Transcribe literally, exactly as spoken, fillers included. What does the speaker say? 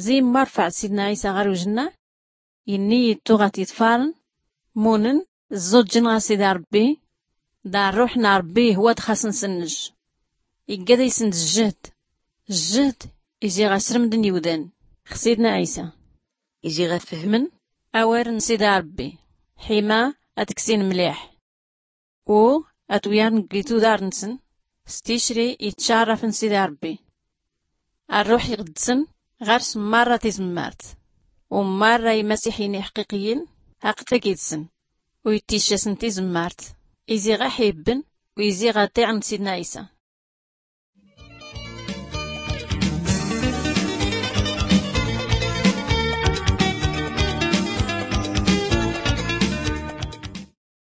Zi marfaɛ sidna ɛisa ɣar ujnna, inni yittu ɣa tiḍfarn, munnn ẓuǧǧn ɣa sida rbbi. Da rruḥ na rbbi hwa dxasnsnnj. Iggad isnd zzhd, zzhd izi ɣa srmdn iwdan ɣ sidna ɛisa, izi ɣa fhmn awar n sida rbbi, ḥima ad-ksin mliḥ u ad-wyarn gli tuḍar-nsn s ticri itcarrafn sida rbbi. Arruḥ iɣdsn ɣars marra tizmmart, u marra imasiḥin iḥqiqiyyin haqq tagit-sn, u itticcasn tizmmart izi ɣa ḥibbn u izi ɣa ṭiɛn sidna ɛisa.